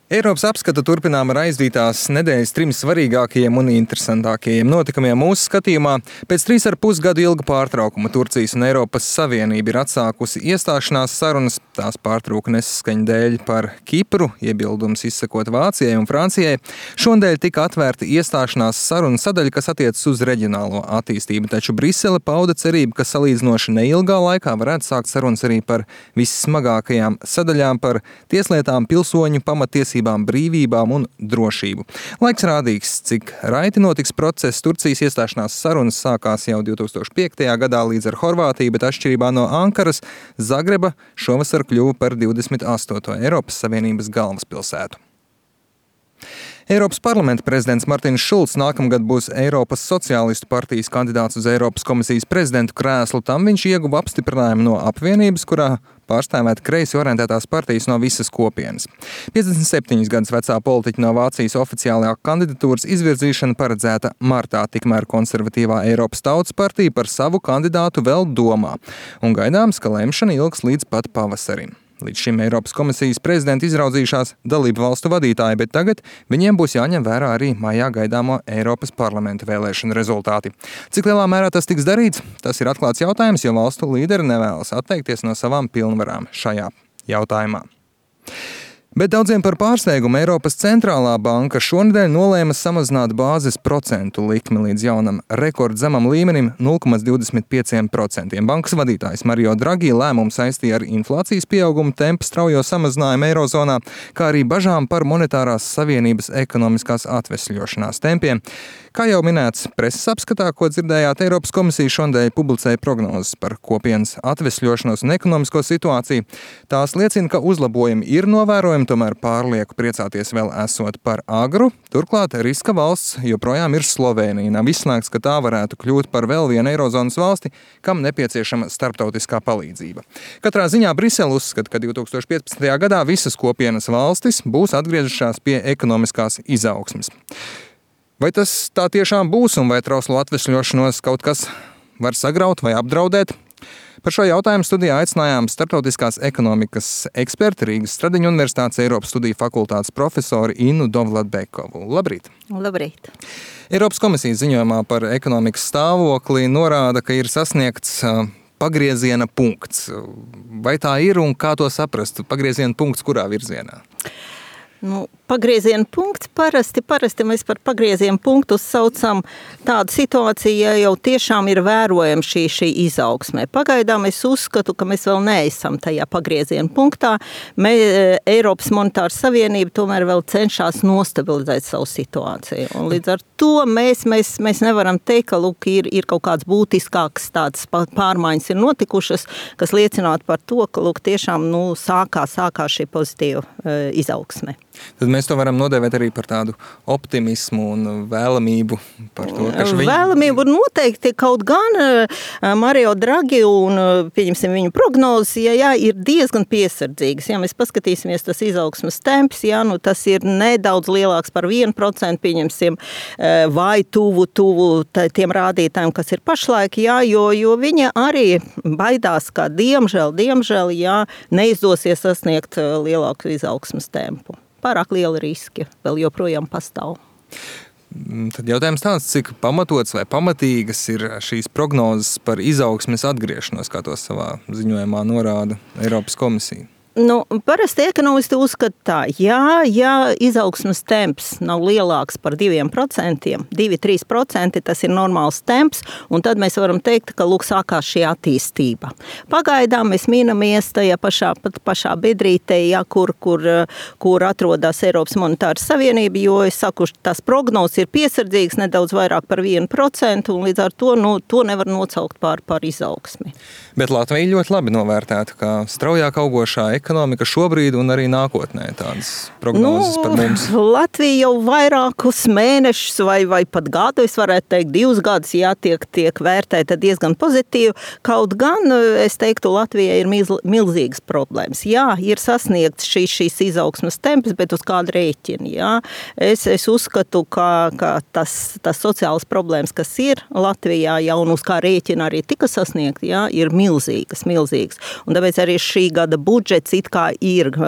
Eiropas apskata turpinām ar aizvītās nedēļas 3 svarīgākajiem un interesantākajiem notikumiem mūsu skatījumā. Pēc 3,5 gadu ilga pārtraukuma Turcijas un Eiropas Savienība ir atsākusi iestāšanās sarunas. Tās pārtrauka nesaskaņa dēļ par Kipru, iebildums izsakot Vācijai un Francijai. Šonadēļ tika atvērta iestāšanās saruna sadaļa, kas attiecas uz reģionālo attīstību, taču Brisele pauda cerību, ka salīdzinoši neilgā laikā varētu sākt sarunas arī par vissmagākajām sadaļām par tieslietām, pilsoņu pamatiesībām, brīvībām un drošību. Laiks rādīgs, cik raiti notiks process. Turcijas iestāšanās sarunas sākās jau 2005. gadā līdz ar Horvātiju, bet atšķirībā no Ankaras, Zagreba šovasar kļuva par 28. Eiropas Savienības galvaspilsētu. Eiropas parlamenta prezidents Martins Šulcs nākamgad būs Eiropas Sociālistu partijas kandidāts uz Eiropas komisijas prezidentu krēslu. Tam viņš ieguva apstiprinājumu no apvienības, kurā pārstāvēt kreisi orientētās partijas no visas kopienas. 57 gadus vecā politiķa no Vācijas oficiālajā kandidatūras izvirzīšana paredzēta martā, tikmēr konservatīvā Eiropas Tautas partija par savu kandidātu vēl domā. Un gaidāms, ka lemšana ilgs līdz pat pavasarim. Līdz šim Eiropas komisijas prezidenta izraudzījušās dalību valstu vadītāji, bet tagad viņiem būs jāņem vērā arī maijā gaidāmo Eiropas parlamenta vēlēšanu rezultāti. Cik lielā mērā tas tiks darīts? Tas ir atklāts jautājums, jo valstu līderi nevēlas atteikties no savām pilnvarām šajā jautājumā. Bet daudziem par pārsteigumu Eiropas centrālā banka šonedēļ nolēma samazināt bāzes procentu likmi līdz jaunam rekordzemam līmenim 0,25%. Bankas vadītājs Mario Draghi lēmumu saistīja ar inflācijas pieauguma tempu straujo samazinājumu Eirozonā, kā arī bažām par monetārās savienības ekonomiskās atvesļošanās tempiem. Kā jau minēts preses apskatā, ko dzirdējāt, Eiropas komisija šonedēļ publicēja prognozes par kopienas atvesļošanos un ekonomisko situāciju. Tās liecina, ka uzlabojumi ir novērojami, tomēr pārlieku priecāties vēl esot par agru. Turklāt riska valsts joprojām ir Slovēnija. Nav izslēgts, ka tā varētu kļūt par vēl vienu Eirozonas valsti, kam nepieciešama starptautiskā palīdzība. Katrā ziņā Brisele uzskata, ka 2015. gadā visas kopienas valstis būs atgriezušās pie ekonomiskās izaugsmes. Vai tas tā tiešām būs un vai trauslo atvesļošanos kaut kas var sagraut vai apdraudēt? Par šo jautājumu studijā aicinājām starptautiskās ekonomikas eksperti Rīgas Stradiņu Universitātes Eiropas studiju fakultātes profesori Innu Dovladbekovu. Labrīt! Labrīt! Eiropas komisijas ziņojumā par ekonomikas stāvokli norāda, ka ir sasniegts pagrieziena punkts. Vai tā ir un kā to saprast? Pagrieziena punkts kurā virzienā? Pagrieziena punkts parasti mēs par pagrieziena punktu saucam tādu situāciju, ja jau tiešām ir vērojama šī izaugsme. Pagaidām es uzskatu, ka mēs vēl neesam tajā pagrieziena punktā. Eiropas monetāra savienība tomēr vēl cenšas nostabilizēt savu situāciju. Un līdz ar to mēs nevaram teikt, ka ir kaut kāds būtiskāks tādas pārmaiņas ir notikušas, kas liecinātu par to, ka tiešām sākās šī pozitīva izaugsme. Tad mēs to varam nodēvēt arī par tādu optimismu un vēlamību par to, ka Vēlamību noteikti kaut gan Mario Draghi un, pieņemsim, viņu prognozes, ir diezgan piesardzīgas. Ja mēs paskatīsimies tas izaugsmas temps, tas ir nedaudz lielāks par 1%, pieņemsim, vai tuvu tiem rādītājiem, kas ir pašlaik, jo viņa arī baidās, ka diemžēl, neizdosies sasniegt lielāku izaugsmas tempu. Pārāk liela riski vēl joprojām pastāv. Tad jautājums tāds, cik pamatots vai pamatīgas ir šīs prognozes par izaugsmes atgriešanos, kā to savā ziņojumā norāda Eiropas komisija? Parasti ekonomisti uzskata tā, ja izaugsmes temps nav lielāks par 2%, 2-3%, tas ir normāls temps, un tad mēs varam teikt, ka sākās šī attīstība. Pagaidām mēs minamies tajā pašā bedrītē, kur atrodas Eiropas monetāra savienība, jo es saku, tās prognozes ir piesardzīgas nedaudz vairāk par 1%, un līdz ar to nevar nocaukt par izaugsmi. Bet Latvija ļoti labi novērtēta, kā straujāk augošā ekonomika šobrīd un arī nākotnē tādas prognozes par mums. Latvija jau vairākus mēnešus vai pat gadu, es varētu teikt 2 gadus, tiek vērtēta diezgan pozitīvi. Kaut gan, es teiktu, Latvijai ir milzīgas problēmas. Ir sasniegts šīs izaugsmas temps, bet uz kādu rēķinu. Es uzskatu, ka tas sociālas problēmas, kas ir Latvijā, un uz kā rēķina arī tika sasniegt, ir milzīgas. Un tāpēc arī šī gada budžets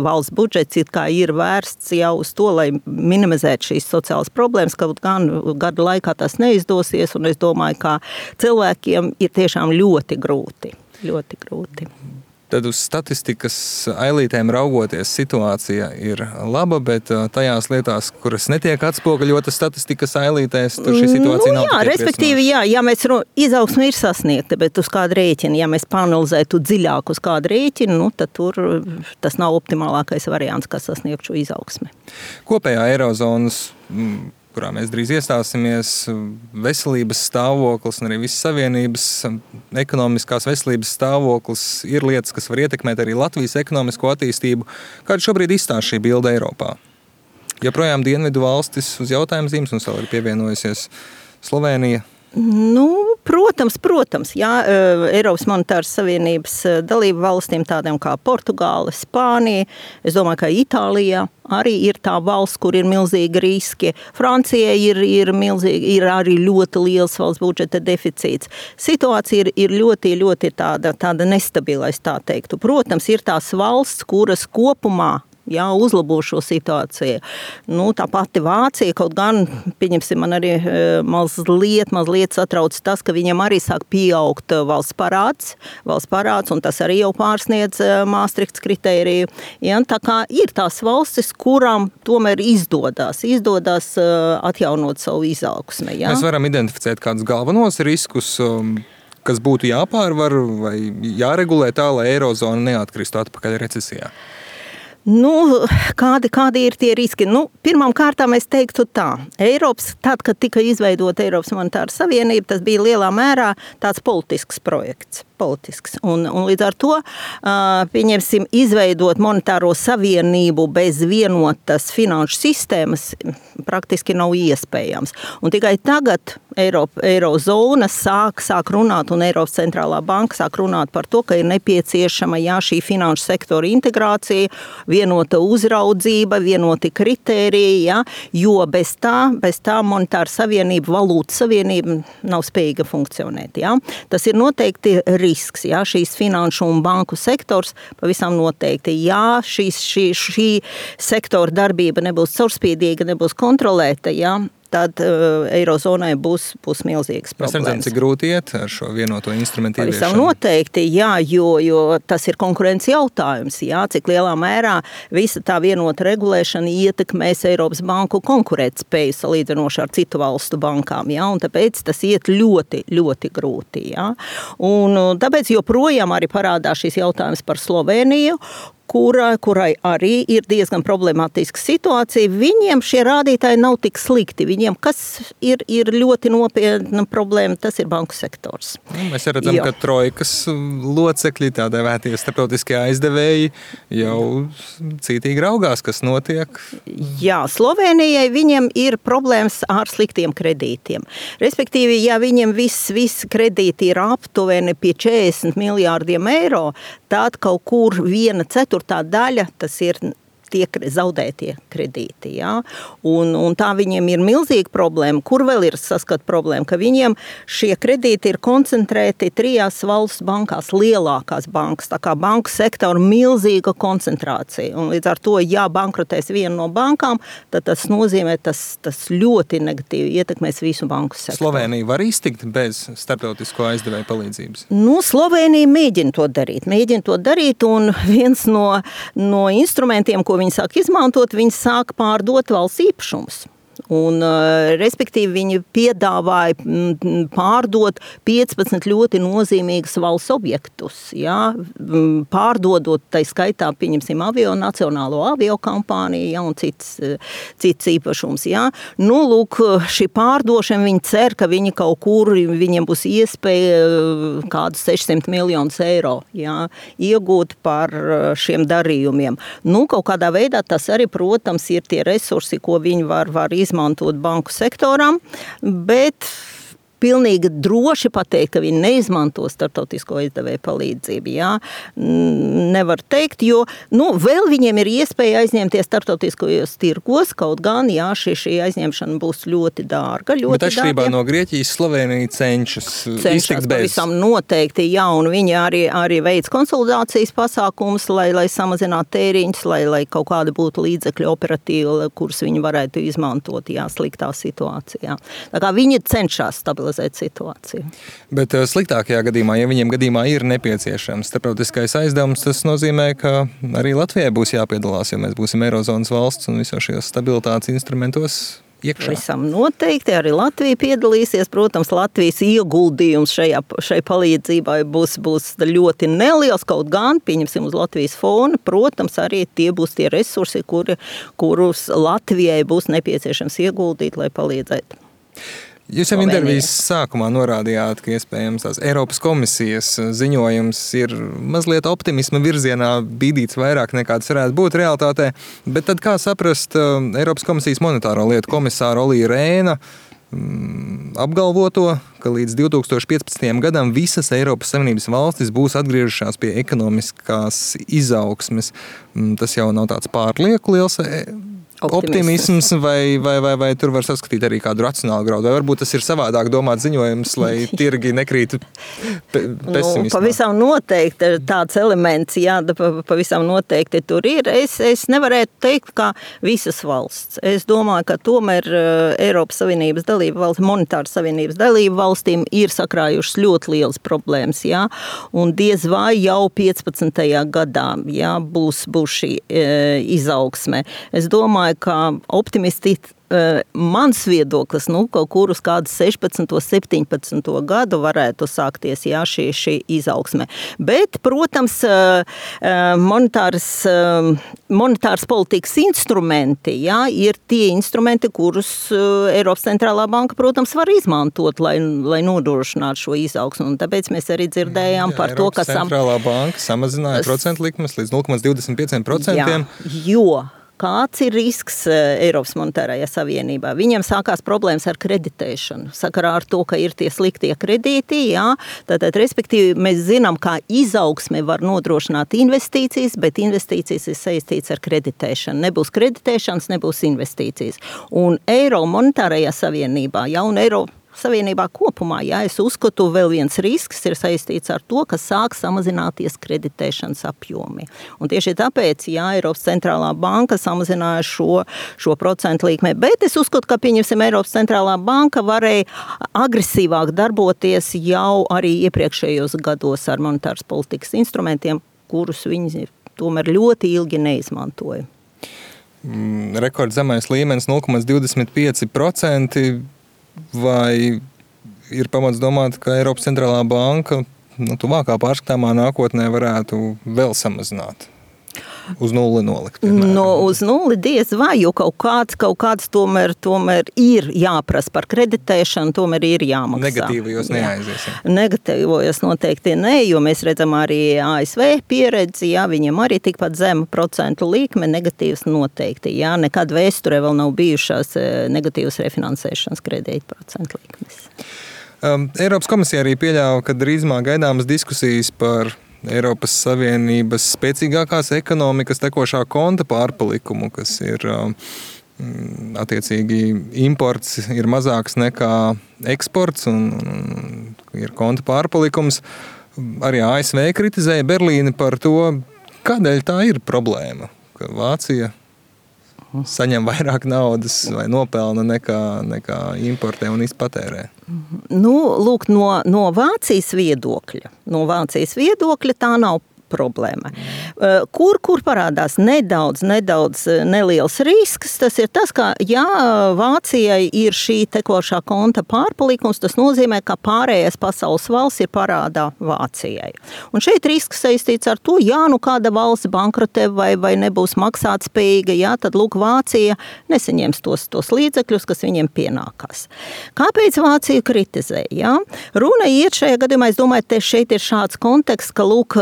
valsts budžets ir vērsts jau uz to, lai minimizētu šīs sociālas problēmas, kaut gan gada laikā tas neizdosies, un es domāju, ka cilvēkiem ir tiešām ļoti grūti. Tad uz statistikas ailītēm raugoties situācija ir laba, bet tajās lietās, kuras netiek atspoguļotas statistikas ailītēs, tur šī situācija nav tikai respektīvi, ja mēs izaugsme ir sasniegta, bet uz kādu rēķinu, ja mēs panalizētu dziļāk uz kādu rēķinu, tad tur tas nav optimālākais variants, kā sasniegt šo izaugsmi. Kopējā Eirozonas, kurā mēs drīz iestāsimies, veselības stāvoklis un arī visas savienības ekonomiskās veselības stāvoklis ir lietas, kas var ietekmēt arī Latvijas ekonomisko attīstību. Kāda šobrīd izstāsta šī bilde Eiropā? Joprojām dienvidu valstis uz jautājumu zīmes, mums vēl ir pievienojusies Slovēnija. Protams, jā, Eiropas monetāras savienības dalību valstīm tādiem kā Portugāla, Spānija, es domāju, ka Itālijā arī ir tā valsts, kur ir milzīgi riski. Francijai ir arī ļoti liels valsts budžeta deficīts. Situācija ir ļoti tāda nestabila, es tā teiktu. Protams, ir tās valsts, kuras kopumā uzlabo šo situāciju. Tā pati Vācija, kaut gan, pieņemsim, man arī mazliet satrauc tas, ka viņam arī sāk pieaugt valsts parāds, un tas arī jau pārsniedz Maastrichts kritēriju. Tā kā ir tās valstis, kurām tomēr izdodas atjaunot savu izaugsmi. Mēs varam identificēt kādus galvenos riskus, kas būtu jāpārvar vai jāregulē tā, lai Eirozona neatkristu atpakaļ recesijā. Kādi ir tie riski? Pirmām kārtām es teiktu tā. Tad, kad tika izveidota Eiropas monetāra savienība, tas bija lielā mērā tāds politisks projekts. Un līdz ar to, pieņemsim, izveidot monetāro savienību bez vienotas finanšu sistēmas praktiski nav iespējams. Un tikai tagad Eirozona sāk runāt, un Eiropas centrālā banka sāk runāt par to, ka ir nepieciešama šī finanšu sektora integrācija, vienota uzraudzība, vienoti kritēriji, jo bez tā monetāra savienība, valūtas savienība nav spējīga funkcionēt. Tas ir noteikti risks. Šīs finanšu un banku sektors pavisam noteikti. Šī sektora darbība nebūs caurspīdīga, nebūs kontrolēta, tad Eirozonai būs milzīgas problēmas. Mēs redzam, cik grūti iet ar šo vienoto instrumentu ieviešanu. Pavisam noteikti, jo tas ir konkurences jautājums, cik lielā mērā visa tā vienota regulēšana ietekmēs Eiropas banku konkurētspēju salīdzinoši ar citu valstu bankām, un tāpēc tas iet ļoti, ļoti grūti, Un tāpēc joprojām arī parādās šis jautājums par Slovēniju, kurai arī ir diezgan problemātiska situācija. Viņiem šie rādītāji nav tik slikti. Viņiem, kas ir ļoti nopietna problēma, tas ir banku sektors. Mēs redzam, ka trojkas locekļi, tā dēvētie starptautiskie aizdevēji, jau cītīgi raugās, kas notiek. Slovēnijai viņiem ir problēmas ar sliktiem kredītiem. Respektīvi, viņiem viss kredīti ir aptuveni pie 40 miljārdiem eiro, tad kaut kur 1/4 daļa, tas ir tie zaudētie kredīti. Un tā viņiem ir milzīga problēma. Kur vēl ir saskat problēma? Ka viņiem šie kredīti ir koncentrēti 3 valsts bankās, lielākās bankas. Tā kā banku sektora milzīga koncentrācija. Un līdz ar to, ja bankrotēs viena no bankām, tad tas nozīmē, tas ļoti negatīvi ietekmēs visu banku sektoru. Slovēnija var iztikt bez starptautisko aizdevēju palīdzības? Slovēnija mēģina to darīt, un viens no instrumentiem, ko viņi sāk izmantot, viņi sāk pārdot valsts īpašumus. Un, respektīvi, viņi piedāvāja pārdot 15 ļoti nozīmīgas valsts objektus, pārdodot, tai skaitā, pieņemsim, nacionālo aviokampāniju, un cits īpašums, Lūk, šī pārdošana, viņi cer, ka viņi kaut kur, viņiem būs iespēja kādus 600 miljonus eiro, iegūt par šiem darījumiem. Kaut kādā veidā tas arī, protams, ir tie resursi, ko viņi var izmantot banku sektoram, bet pilnīgi droši pateikt, ka viņi neizmanto starptautisko izdevēju palīdzību. Jā. Nevar teikt, jo vēl viņiem ir iespēja aizņemties starptautiskajos tirgos, kaut gan šī aizņemšana būs ļoti dārga. Bet atšķirībā no Grieķijas, Slovēnija cenšas iztikt bez. Pavisam noteikti, jā, un viņi arī veic konsolidācijas pasākumus, lai samazinātu tēriņus, lai kaut kāda būtu līdzekļu operatīva, kurus viņi varētu izmantot, sliktā situācijā. Tā kā viņi cenšas stabilizēt situāciju. Bet sliktākajā gadījumā, ja viņiem gadījumā ir nepieciešams starptautiskais aizdevums, tas nozīmē, ka arī Latvijai būs jāpiedalās, jo mēs būsim Eirozonas valsts un visos šajos stabilitātes instrumentos iekšā. Visam noteikti arī Latvija piedalīsies. Protams, Latvijas ieguldījums šai palīdzībai būs ļoti neliels, kaut gan, pieņemsim uz Latvijas fona, protams, arī tie būs tie resursi, kurus Latvijai būs nepieciešams ieguldīt, lai palīdzētu. Jūs jau intervijas sākumā norādījāt, ka iespējams tās Eiropas komisijas ziņojums ir mazliet optimisma virzienā bīdīts vairāk nekā tas varētu būt realitātē, bet tad kā saprast Eiropas komisijas monetāro lietu komisāru Olī Rēna apgalvoto, ka līdz 2015. gadam visas Eiropas Savienības valstis būs atgriežušās pie ekonomiskās izaugsmes. Tas jau nav tāds pārlieku liels optimisms vai tur var saskatīt arī kādu racionālu graudu? Vai varbūt tas ir savādāk domāt ziņojums, lai tirgi nekrītu pesimismā? Pavisam noteikti tāds elements, pavisam noteikti tur ir. Es nevarētu teikt, ka visas valsts. Es domāju, ka tomēr Eiropas Savienības dalība valsts, monetāras savienības dalība valstīm ir sakrājušas ļoti lielas problēmas, un diez vai jau 15. gadā, būs šī izaugsme. Es domāju, ka optimisti mans viedoklis, kaut kur uz kādu 16. 17. gadu varētu sākties, šī izaugsme. Bet, protams, monetāras politikas instrumenti, ir tie instrumenti, kurus Eiropas centrālā banka, protams, var izmantot, lai nodrošinātu šo izaugsmu. Un tāpēc mēs arī dzirdējām par to, ka centrālā banka samazināja procentu likmes līdz 0,25%. Jo kāds ir risks Eiropas monetārajā savienībā? Viņiem sākās problēmas ar kreditēšanu, sakarā ar to, ka ir tie sliktie kredīti, Tātad, respektīvi, mēs zinām, kā izaugsme var nodrošināt investīcijas, bet investīcijas ir saistīts ar kreditēšanu. Nebūs kreditēšanas, nebūs investīcijas. Un Eiro monetārajā savienībā, un Eiro Savienībā kopumā, es uzskatu, vēl viens risks ir saistīts ar to, ka sāk samazināties kreditēšanas apjomi. Un tieši tāpēc, Eiropas centrālā banka samazināja šo procentu likmi. Bet es uzskatu, ka, pieņemsim, Eiropas centrālā banka varēja agresīvāk darboties jau arī iepriekšējos gados ar monetāras politikas instrumentiem, kurus viņi tomēr ļoti ilgi neizmantoja. Rekordzemais līmenis 0,25%. Vai ir pamats domāt, ka Eiropas centrālā banka tuvākā pārskatāmā nākotnē varētu vēl samazināt? Uz nulli nolikt? Uz nulli diez vai, jo kaut kāds tomēr ir jāprasa par kreditēšanu, tomēr ir jāmaksā. Negatīvajos neaizies. Negatīvajos noteikti ne, jo mēs redzam arī ASV pieredzi, viņiem arī tikpat zema procentu likme, negatīvas noteikti. Nekad vēsturē vēl nav bijušās negatīvas refinansēšanas kredīta procentu likmes. Eiropas komisija arī pieļāva, ka drīzumā gaidāmas diskusijas par Eiropas Savienības spēcīgākās ekonomikas tekošā konta pārpalikumu, kas ir attiecīgi imports ir mazāks nekā eksports un ir konta pārpalikums. Arī ASV kritizēja Berlīni par to, kādēļ tā ir problēma, ka Vācija saņem vairāk naudas vai nopelna nekā importē un izpatērē. Lūk, no Vācijas viedokļa tā nav problēma. Kur parādās nedaudz neliels risks, tas ir tas, ka Vācijai ir šī tekošā konta pārpalikums, tas nozīmē, ka pārējais pasaules valsts ir parādā Vācijai. Un šeit risks saistīts ar to, kāda valsts bankrotē vai nebūs maksātspējīga, tad lūk, Vācija nesaņems tos līdzekļus, kas viņiem pienākās. Kāpēc Vāciju kritizē? Runa iet šajā gadījumā, es domāju, šeit ir šāds konteksts, ka lūk,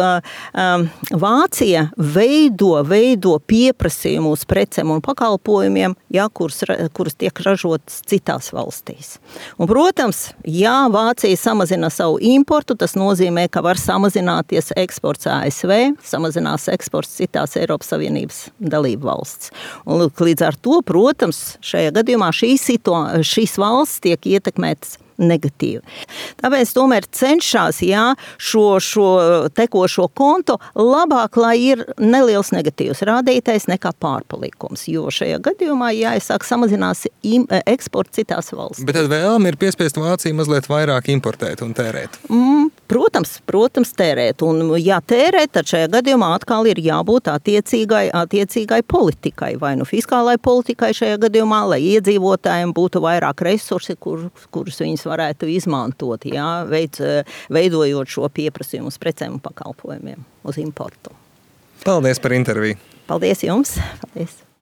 Vācija veido pieprasījumu uz precēm un pakalpojumiem, kuras tiek ražotas citās valstīs. Un, protams, ja Vācija samazina savu importu, tas nozīmē, ka var samazināties eksports ASV, samazinās eksports citās Eiropas Savienības dalību valsts. Un līdz ar to, protams, šajā gadījumā šīs valsts tiek ietekmētas negatīvi. Tāpēc tomēr cenšas šo tekošo kontu labāk, lai ir neliels negatīvs rādītājs nekā pārpalikums, jo šajā gadījumā jāsāk samazinās eksports citās valstīs. Bet tad vēlme ir piespiest Vāciju mazliet vairāk importēt un tērēt? Protams, tērēt. Un ja tērēt, tad šajā gadījumā atkal ir jābūt attiecīgai politikai, vai nu fiskālai politikai šajā gadījumā, lai iedzīvotājiem būtu vairāk resursi, kurus viņas varētu izmantot, veidojot šo pieprasījumu uz precēm un pakalpojumiem uz importu. Paldies par interviju. Paldies jums. Paldies.